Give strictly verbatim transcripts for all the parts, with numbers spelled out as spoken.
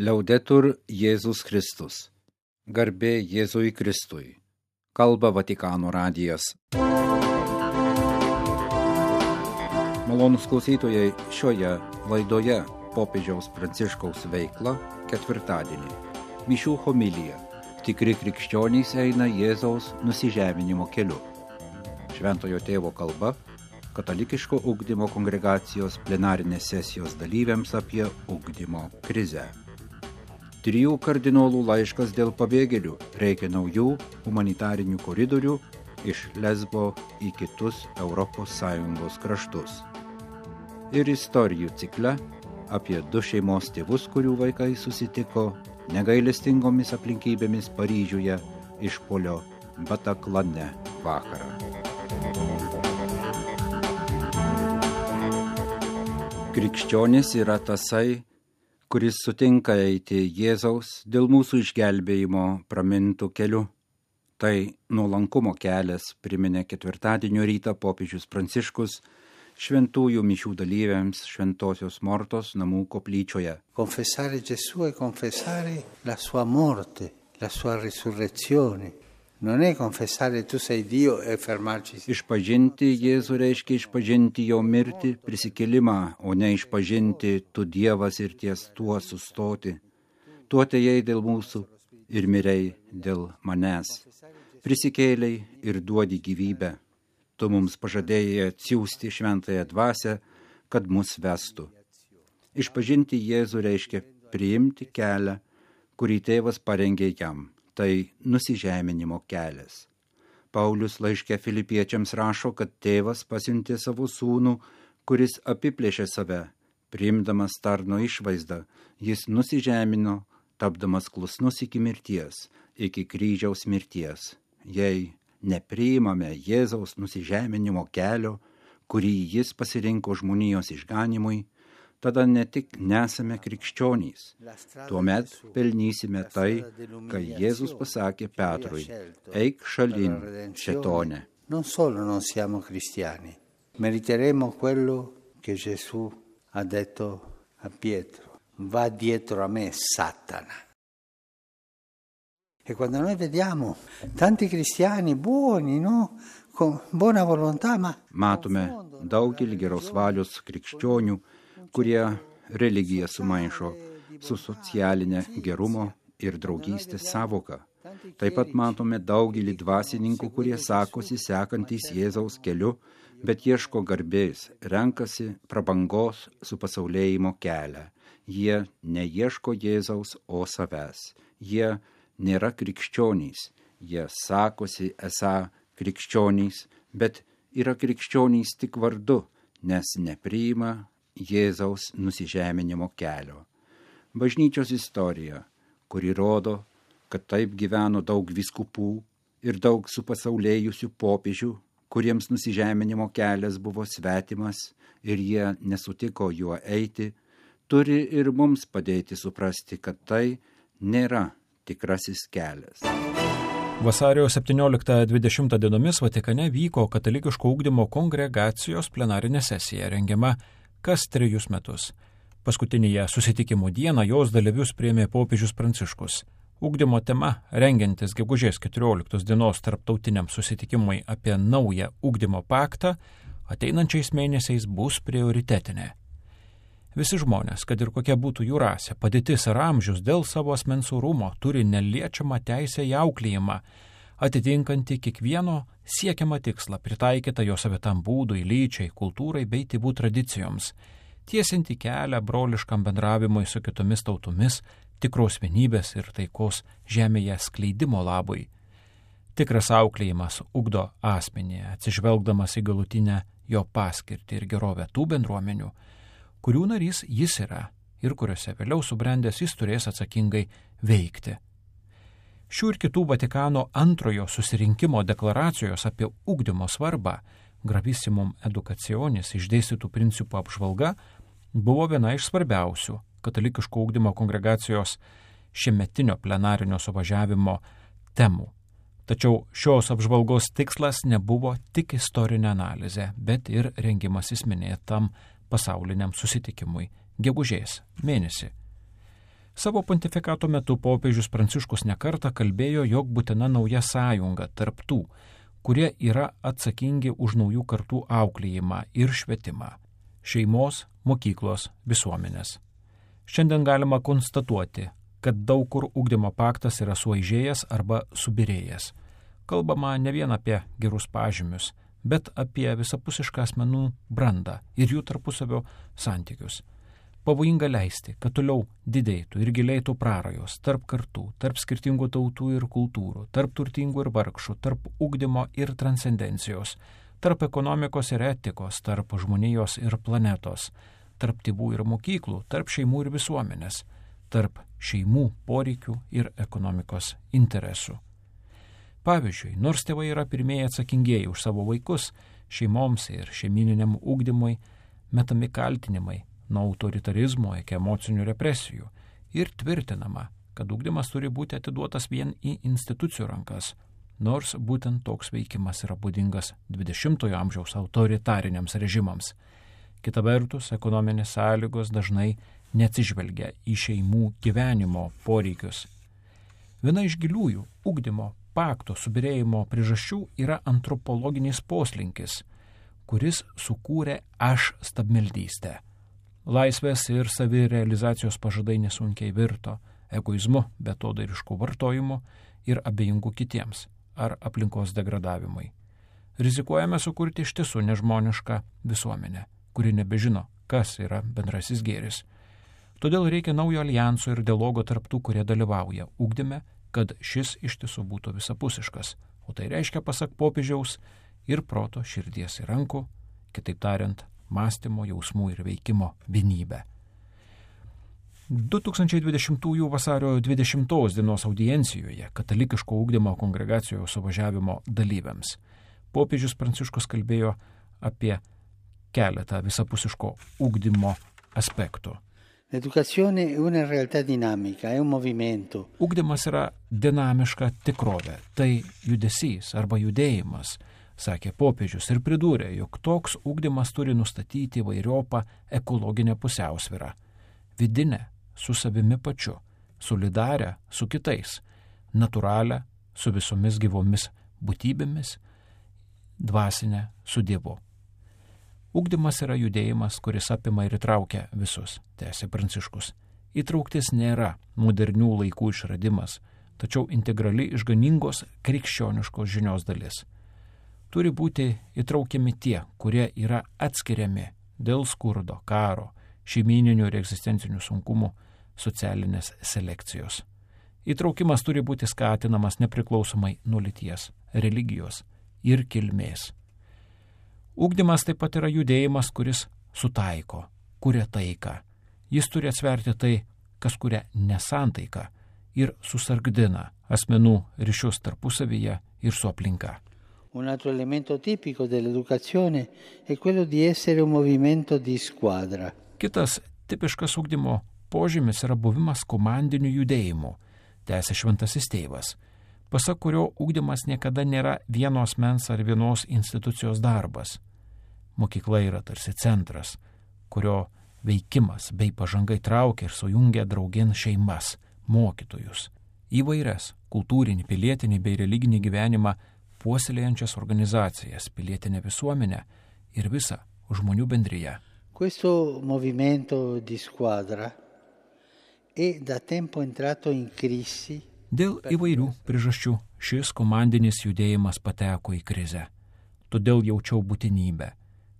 Liaudetur Jėzus Kristus. Garbė Jėzui Kristui. Kalba Vatikano radijas. Malonūs klausytojai, šioje laidoje popiežiaus Pranciškaus veikla ketvirtadienį. Mišių homilija. Tikri krikščionys eina Jėzaus nusižeminimo keliu. Šventojo tėvo kalba katalikiško ugdymo kongregacijos plenarinės sesijos dalyviams apie ugdymo krizę. Trijų kardinolų laiškas dėl pabėgėlių. Reikia naujų humanitarinių koridorių iš Lesbo į kitus Europos Sąjungos kraštus. Ir istorijų cikle apie du šeimos tėvus, kurių vaikai susitiko negailestingomis aplinkybėmis Paryžiuje išpuolio Bataklane vakarą. Krikščionis yra tasai, kuris sutinka eiti Jėzaus dėl mūsų išgelbėjimo pramintų keliu. Tai nuolankumo kelias, priminė ketvirtadienio rytą popiežius Pranciškus šventųjų mišių dalyviams Šventosios Mortos namų koplyčioje. Confessare Gesù e confessare la sua morte, la sua risurrezione. Non è confessare tu sei Dio e fermarci. Išpažinti Jėzų reiškia išpažinti jo mirtį, prisikėlimą, o ne išpažinti tu Dievas ir ties tuo sustoti. Tu atėjai dėl mūsų ir mirei dėl manęs. Prisikėlei ir duodi gyvybę. Tu mums pažadėjai atsiųsti šventąją dvasią, kad mus vestų. Išpažinti Jėzų reiškia priimti kelią, kurį tėvas parengė jam. Tai nusižeminimo kelias. Paulius laiške Filipiečiams rašo, kad tėvas pasiuntė savo sūnų, kuris apiplėšė save, priimdamas tarno išvaizdą, jis nusižemino, tapdamas klusnus iki mirties, iki kryžiaus mirties. Jei nepriimame Jėzaus nusižeminimo kelio, kurį jis pasirinko žmonijos išganimui, tada ne tik nesame krikščionys. Tuomet pelnysime tai, ką Jėzus pasakė Petrui: eik šalin, šėtone. Non solo non siamo cristiani, meriteremo quello che Gesù ha detto a Pietro: va dietro a me, Satana. E quando noi vediamo tanti cristiani buoni, no? Con buona volontà, ma matome daugelį geros valios krikščionių, kurie religiją sumaišo su socialinė gerumo ir draugystės sąvoka. Taip pat matome daugelį dvasininkų, kurie sakosi sekantys Jėzaus keliu, bet ieško garbės, renkasi prabangos su pasaulėjimo kelią. Jie neieško Jėzaus, o savęs. Jie nėra krikščionys. Jie sakosi esą krikščionys, bet yra krikščionys tik vardu, nes nepriima Jėzaus nusižeminimo kelio. Bažnyčios istorija, kuri rodo, kad taip gyveno daug vyskupų ir daug supasaulėjusių popiežių, kuriems nusižeminimo kelias buvo svetimas ir jie nesutiko juo eiti, turi ir mums padėti suprasti, kad tai nėra tikrasis kelias. Vasario septynioliktą dvidešimtą dienomis Vatikane vyko katalikiško ugdymo kongregacijos plenarinė sesija, rengiama kas trejus metus. Paskutinėje susitikimo dieną jos dalyvius priėmė popiežius Pranciškus. Ugdymo tema, rengiantis gegužės keturioliktos dienos tarptautiniam susitikimui apie naują ugdymo paktą, ateinančiais mėnesiais bus prioritetinė. Visi žmonės, kad ir kokia būtų jų rasė, padėtis ar amžius, dėl savo asmens orumo turi neliečiamą teisę į auklėjimą, atitinkantį kiekvieno siekiamą tikslą, pritaikytą jo savitam būdui, lyčiai, kultūrai bei tėvų tradicijoms, tiesinti kelią broliškam bendravimui su kitomis tautomis, tikros vienybės ir taikos žemėje skleidimo labui. Tikras auklėjimas ugdo asmenį, atsižvelgdamas į galutinę jo paskirtį ir gerovę tų bendruomenių, kurių narys jis yra ir kuriuose vėliau subrendęs jis turės atsakingai veikti. Šių ir kitų Vatikano antrojo susirinkimo deklaracijos apie ugdymo svarbą, Gravissimum educationis išdėstytų principų apžvalga, buvo viena iš svarbiausių katalikiško ugdymo kongregacijos šiemetinio plenarinio suvažiavimo temų. Tačiau šios apžvalgos tikslas nebuvo tik istorinė analizė, bet ir rengimasis minėtam pasauliniam susitikimui gegužės mėnesį. Savo pontifikato metu popiežius Pranciškus nekartą kalbėjo, jog būtina nauja sąjunga tarp tų, kurie yra atsakingi už naujų kartų auklėjimą ir švietimą - šeimos, mokyklos, visuomenės. Šiandien galima konstatuoti, kad daug kur ugdymo paktas yra suaižėjęs arba subirėjęs. Kalbama ne vien apie gerus pažymius, bet apie visapusišką asmenų brandą ir jų tarpusavio santykius. Pavojinga leisti, kad toliau didėtų ir gilėtų prarajos tarp kartų, tarp skirtingų tautų ir kultūrų, tarp turtingų ir vargšų, tarp ugdymo ir transcendencijos, tarp ekonomikos ir etikos, tarp žmonijos ir planetos, tarp tėvų ir mokyklų, tarp šeimų ir visuomenės, tarp šeimų poreikių ir ekonomikos interesų. Pavyzdžiui, nors tėvai yra pirmieji atsakingieji už savo vaikus, šeimoms ir šeimininiam ugdymui metami kaltinimai nuo autoritarizmo iki emocinių represijų ir tvirtinama, kad ugdymas turi būti atiduotas vien į institucijų rankas, nors būtent toks veikimas yra būdingas dvidešimtojo amžiaus autoritariniams režimams. Kita vertus, ekonominės sąlygos dažnai neatsižvelgia į šeimų gyvenimo poreikius. Viena iš giliųjų ugdymo pakto subirėjimo priežasčių yra antropologinis poslinkis, kuris sukūrė aš stabmeldystę. Laisvės ir savirealizacijos pažadai nesunkiai virto egoizmu, betodarišku vartojimu ir abejingu kitiems ar aplinkos degradavimui. Rizikuojame sukurti iš tiesų nežmonišką visuomenę, kuri nebežino, kas yra bendrasis gėris. Todėl reikia naujo alijanso ir dialogo tarp tų, kurie dalyvauja ugdyme, kad šis iš tiesų būtų visapusiškas, o tai reiškia, pasak popiežiaus, ir proto, širdies ir rankų, kitaip tariant, mąstymo, jausmų ir veikimo vienybę. du tūkstančiai dvidešimtųjų vasario dvidešimtos dienos audiencijoje katalikiško ugdymo kongregacijos suvažiavimo dalyviams popiežius Pranciškus kalbėjo apie keletą visapusiško ugdymo aspektų. L'educazione è una realtà dinamica, è un movimento. Ugdymas yra dinamiška tikrovė, tai judesys arba judėjimas, sakė popiežius ir pridūrė, jog toks ugdymas turi nustatyti įvairiopą ekologinę pusiausvyrą, vidinę su savimi pačiu, solidarę su kitais, natūralią su visomis gyvomis būtybėmis, dvasinę su Dievu. Ugdymas yra judėjimas, kuris apima ir įtraukia visus, tęsė Pranciškus. Įtrauktis nėra modernių laikų išradimas, tačiau integrali išganingos krikščioniškos žinios dalis. Turi būti įtraukiami tie, kurie yra atskiriami dėl skurdo, karo, šeimininių ir egzistencinių sunkumų, socialinės selekcijos. Įtraukimas turi būti skatinamas nepriklausomai nuo lyties, religijos ir kilmės. Ugdymas taip pat yra judėjimas, kuris sutaiko, kuria taiką. Jis turi atsverti tai, kas kuria nesantaiką ir susargdina asmenų ryšius tarpusavyje ir su aplinka. Un altro elemento tipico dell'educazione è quello di essere un movimento di squadra. Kitas tipiškas ugdymo požymis yra buvimas komandiniu judėjimu, tęsė Šventasis Tėvas, pasak kurio ugdymas niekada nėra vienos mens ar vienos institucijos darbas. Mokykla yra tarsi centras, kurio veikimas bei pažanga įtraukia ir sujungia draugin šeimas, mokytojus, įvairias kultūrinį, pilietinį bei religinį gyvenimą puoselėjančias organizacijas, pilietinę visuomenę ir visą žmonių bendriją. Questo movimento di squadra è da tempo entrato in crisi. Dėl įvairių priežasčių šis komandinis judėjimas pateko į krizę. Todėl jaučiau būtinybę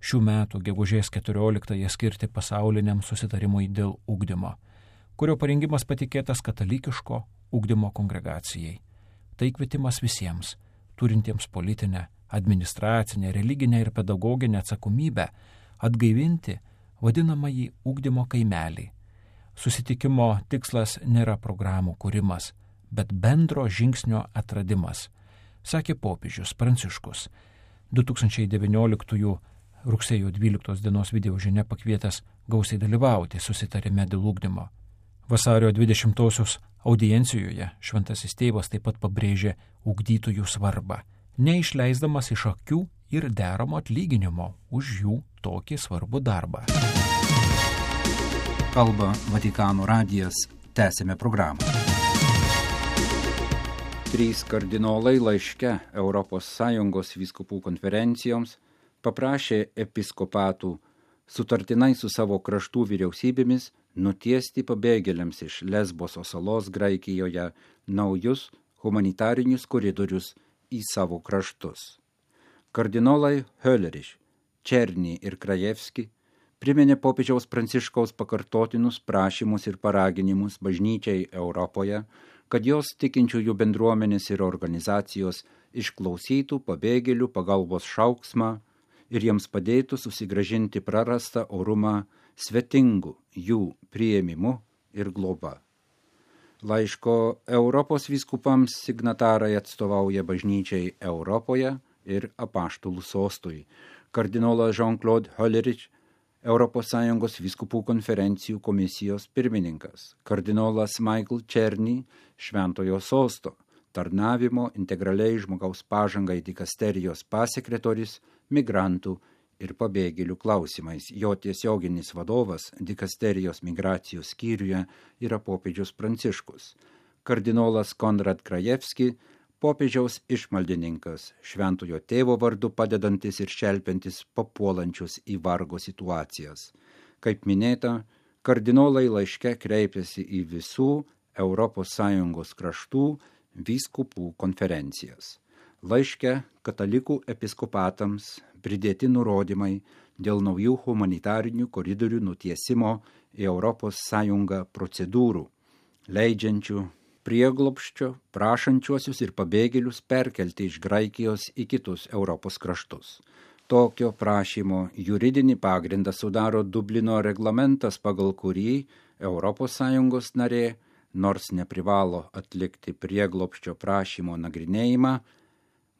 šių metų gegužės keturioliktąją skirti pasauliniam susitarimui dėl ugdymo, kurio parengimas patikėtas katalikiško ugdymo kongregacijai. Tai kvietimas visiems, turintiems politinę, administracinę, religinę ir pedagoginę atsakomybę, atgaivinti vadinamąjį ugdymo kaimelį. Susitikimo tikslas nėra programų kūrimas, bet bendro žingsnio atradimas, sakė popiežius Pranciškus, du tūkstančiai devynioliktųjų rugsėjo dvyliktos dienos video žinia pakvietęs gausiai dalyvauti susitarime dėl ugdymo. Vasario dvidešimtosios audiencijoje Šventasis Tėvas taip pat pabrėžė ugdytojų svarbą, neišleisdamas iš akių ir deramo atlyginimo už jų tokį svarbų darbą. Kalba Vatikano radijas. Tęsime programą. Trys kardinolai laiške Europos Sąjungos vyskupų konferencijoms paprašė episkopatų sutartinai su savo kraštų vyriausybėmis nutiesti pabėgėliams iš Lesboso salos Graikijoje naujus humanitarinius koridorius į savo kraštus. Kardinolai Hölerich, Černy ir Krajevski priminė popiežiaus Pranciškaus pakartotinus prašymus ir paraginimus bažnyčiai Europoje, kad jos tikinčiųjų bendruomenės ir organizacijos išklausytų pabėgėlių pagalbos šauksmą ir jiems padėtų susigrąžinti prarastą orumą svetingų jų priėmimu ir globa. Laiško Europos vyskupams signatarai atstovauja bažnyčiai Europoje ir apaštalų sostui. Kardinolas Jean-Claude Hölerich, Europos Sąjungos vyskupų konferencijų komisijos pirmininkas, kardinolas Michael Černy, Šventojo sosto, tarnavimo integraliai žmogaus pažangai dikasterijos pasekretorius, migrantų ir pabėgėlių klausimais. Jo tiesioginis vadovas dikasterijos migracijos skyriuje yra popiežius Pranciškus. Kardinolas Konrad Krajevski, popiežiaus išmaldininkas, Šventojo tėvo vardu padedantis ir šelpiantis papuolančius į vargo situacijas. Kaip minėta, kardinolai laiške kreipėsi į visų Europos Sąjungos kraštų vyskupų konferencijas. Laiške katalikų episkopatams pridėti nurodymai dėl naujų humanitarinių koridorių nutiesimo į Europos Sąjungą procedūrų, leidžiančių prieglobsčio prašančiuosius ir pabėgėlius perkelti iš Graikijos į kitus Europos kraštus. Tokio prašymo juridinį pagrindą sudaro Dublino reglamentas, pagal kurį Europos Sąjungos narė, nors neprivalo atlikti prieglobsčio prašymo nagrinėjimą,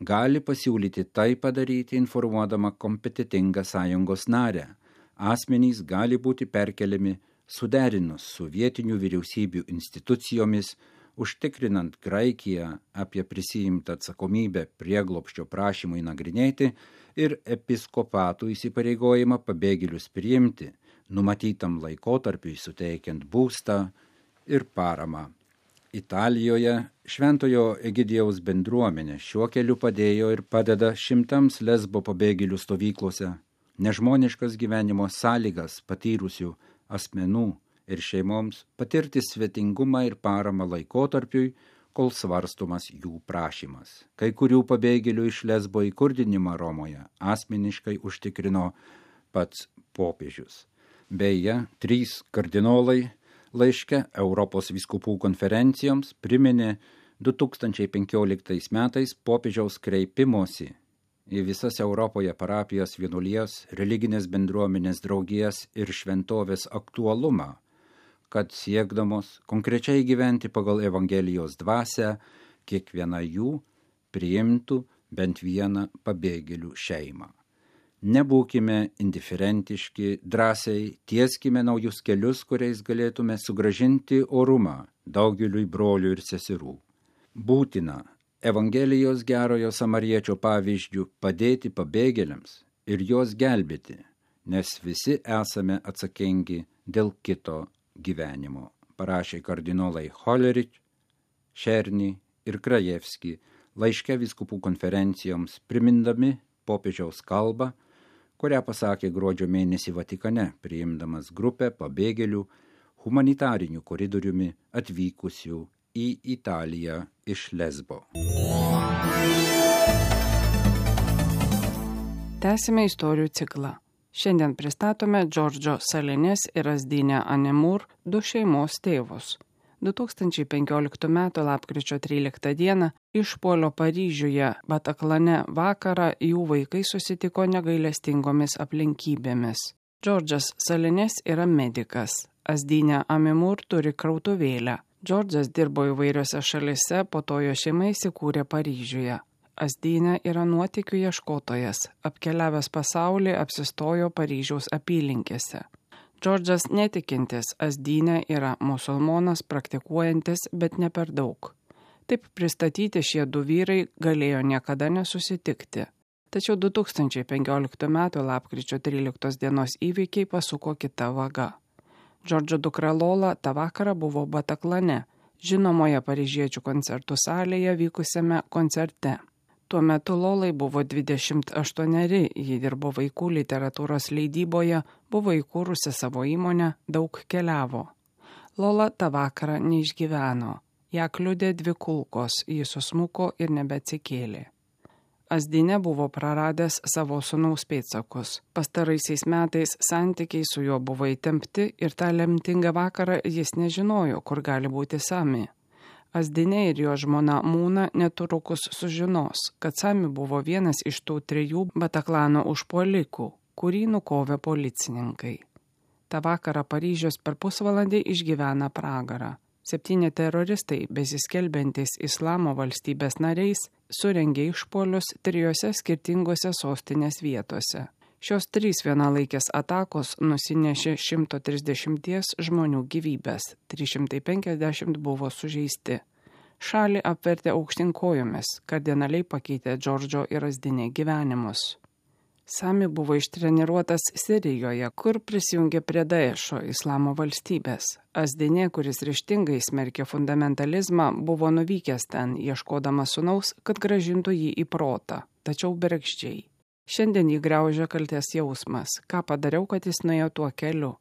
gali pasiūlyti tai padaryti informuodama kompetitingą sąjungos narę. Asmenys gali būti perkeliami suderinus su vietinių vyriausybių institucijomis, užtikrinant Graikiją apie prisiimtą atsakomybę prieglobsčio prašymui nagrinėti ir episkopatų įsipareigojimą pabėgėlius priimti, numatytam laikotarpiui suteikiant būstą ir paramą. Italijoje Šventojo Egidijaus bendruomenė šiuo keliu padėjo ir padeda šimtams Lesbo pabėgėlių stovyklose, nežmoniškas gyvenimo sąlygas patyrusių asmenų ir šeimoms patirti svetingumą ir paramą laikotarpiui, kol svarstomas jų prašymas. Kai kurių pabėgėlių iš Lesbo įkurdinimą Romoje asmeniškai užtikrino pats popiežius. Beje, trys kardinolai laiške Europos vyskupų konferencijoms priminė du tūkstančiai penkioliktais metais popiežiaus kreipimosi į visas Europoje parapijas, vienuolijas, religinės bendruomenės draugijas ir šventovės aktualumą, kad siekdamos konkrečiai gyventi pagal Evangelijos dvasią, kiekviena jų priimtų bent vieną pabėgėlių šeimą. Nebūkime indiferentiški, drąsiai tieskime naujus kelius, kuriais galėtume sugrąžinti orumą daugeliui brolių ir seserų. Būtina Evangelijos gerojo samariečio pavyzdžių padėti pabėgėliams ir juos gelbėti, nes visi esame atsakingi dėl kito gyvenimo, parašė kardinolai Hölerich, Černy ir Krajevski laiške vyskupų konferencijoms, primindami popiežiaus kalbą, kurią pasakė gruodžio mėnesį Vatikane, priimdamas grupę pabėgėlių humanitarinių koridoriumi atvykusių į Italiją iš Lesbo. Tęsime istorijų ciklą. Šiandien pristatome Džordžo Salinės ir Azdinę Anemur du šeimos tėvus. du tūkstančiai penkioliktų metų lapkričio tryliktą dieną išpuolio Paryžiuje Bataklane vakarą jų vaikai susitiko negailestingomis aplinkybėmis. Džordžas Salinės yra medikas, Azdinė Anemur turi krautuvėlę. Džordžas dirbo įvairiose šalise, po to jo šeima įsikūrė Paryžiuje. Azdinė yra nuotykių ieškotojas, apkeliavęs pasaulį apsistojo Paryžiaus apylinkėse. Džordžas netikintis, Azdinė yra musulmonas praktikuojantis, bet ne per daug. Taip pristatyti šie du vyrai galėjo niekada nesusitikti. Tačiau du tūkstančiai penkioliktų metų lapkričio tryliktos dienos įvykiai pasuko kita vaga. Džordžo dukra Lola tą vakarą buvo Bataklane, žinomoje paryžiečių koncertų salėje vykusiame koncerte. Tuo metu Lolai buvo dvidešimt aštuoneri, ji dirbo vaikų literatūros leidyboje, buvo įkūrusi savo įmonę, daug keliavo. Lola tą vakarą neišgyveno. Ją kliudė dvi kulkos, ji susmuko ir nebeatsikėlė. Azdinė buvo praradęs savo sūnaus pėdsakus. Pastaraisiais metais santykiai su juo buvo įtempti ir tą lemtingą vakarą jis nežinojo, kur gali būti Sami. Azdinė ir jo žmona Mūna netrukus sužinos, kad Sami buvo vienas iš tų trijų Bataklano užpuolikų, kurį nukovė policininkai. Ta vakarą Paryžius per pusvalandį išgyvena pragarą. Septyni teroristai, besiskelbiantys Islamo valstybės nariais, surengė išpuolius trijose skirtingose sostinės vietose. Šios trys vienalaikės atakos nusinešė šimto trisdešimties žmonių gyvybės, trys šimtai penkiasdešimt buvo sužeisti. Šalį apvertė aukštyn kojomis, kardinaliai pakeitė Džordžo ir Azdinė gyvenimus. Sami buvo ištreniruotas Sirijoje, kur prisijungė prie Daešo Islamo valstybės. Azdinė, kuris ryžtingai smerkė fundamentalizmą, buvo nuvykęs ten, ieškodamas sūnaus, kad grąžintų jį į protą, tačiau bergždžiai. Šiandien jį graužia kaltės jausmas, ką padariau, kad jis nuėjo tuo keliu.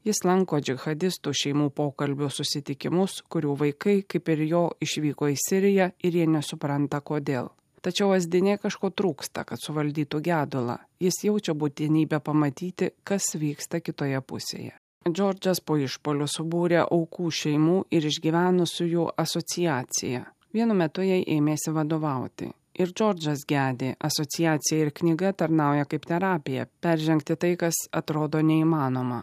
Jis lanko džihadistų šeimų pokalbių susitikimus, kurių vaikai, kaip ir jo, išvyko į Siriją ir jie nesupranta kodėl. Tačiau Azdinė kažko trūksta, kad suvaldytų gedulą. Jis jaučia būtinybę pamatyti, kas vyksta kitoje pusėje. Džordžas po išpuolių subūrė aukų šeimų ir išgyvenusiųjų asociaciją. Vienu metu jai ėmėsi vadovauti. Ir Džordžas gedė, asociacija ir knyga tarnauja kaip terapija, peržengti tai, kas atrodo neįmanoma.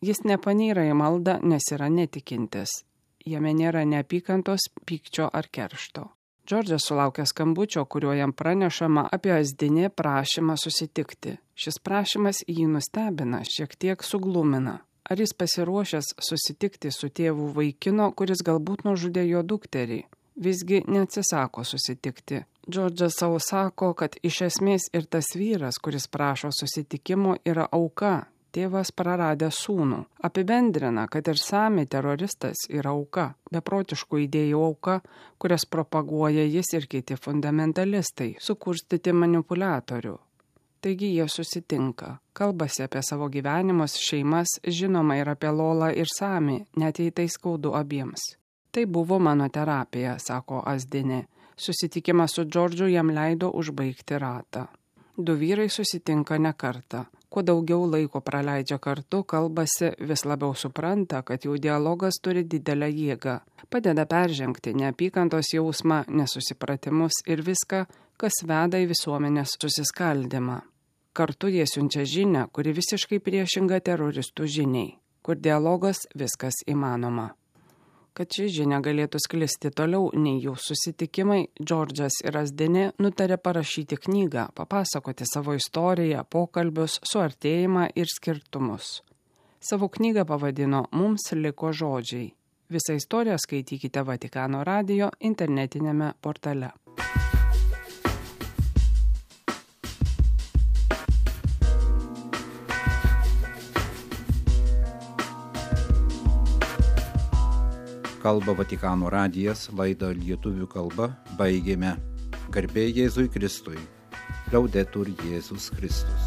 Jis nepanyra į maldą, nes yra netikintis. Jame nėra neapykantos, pykčio ar keršto. Džordžas sulaukė skambučio, kuriuo jam pranešama apie Azdinė prašymą susitikti. Šis prašymas jį nustebina, šiek tiek suglumina. Ar jis pasiruošęs susitikti su tėvu vaikino, kuris galbūt nužudė jo dukterį? Visgi neatsisako susitikti. Džordžas savo sako, kad iš esmės ir tas vyras, kuris prašo susitikimo, yra auka. Tėvas praradė sūnų. Apibendrina, kad ir Sami teroristas yra auka, beprotiškų idėjų auka, kurias propaguoja jis ir kiti fundamentalistai, sukurstyti manipuliatorių. Taigi jie susitinka, kalbasi apie savo gyvenimus, šeimas, žinoma ir apie Lolą ir Sami, net jei tai skaudu abiems. Tai buvo mano terapija, sako Azdinė. Susitikimas su Džordžu jam leido užbaigti ratą. Du vyrai susitinka ne kartą. Kuo daugiau laiko praleidžia kartu, kalbasi, vis labiau supranta, kad jų dialogas turi didelę jėgą. Padeda peržengti neapykantos jausmą, nesusipratimus ir viską, kas veda į visuomenės susiskaldimą. Kartu jie siunčia žinią, kuri visiškai priešinga teroristų žiniai, kur dialogas viskas įmanoma. Kad ši žinia galėtų sklisti toliau nei jų susitikimai, Džordžas ir Azdinė nutarė parašyti knygą, papasakoti savo istoriją, pokalbius, suartėjimą ir skirtumus. Savo knygą pavadino Mums liko žodžiai. Visą istoriją skaitykite Vatikano radijo internetinėme portale. Kalba Vatikano radijas, laidą lietuvių kalba baigėme. Garbė Jėzui Kristui. Laudetur Jėzus Kristus.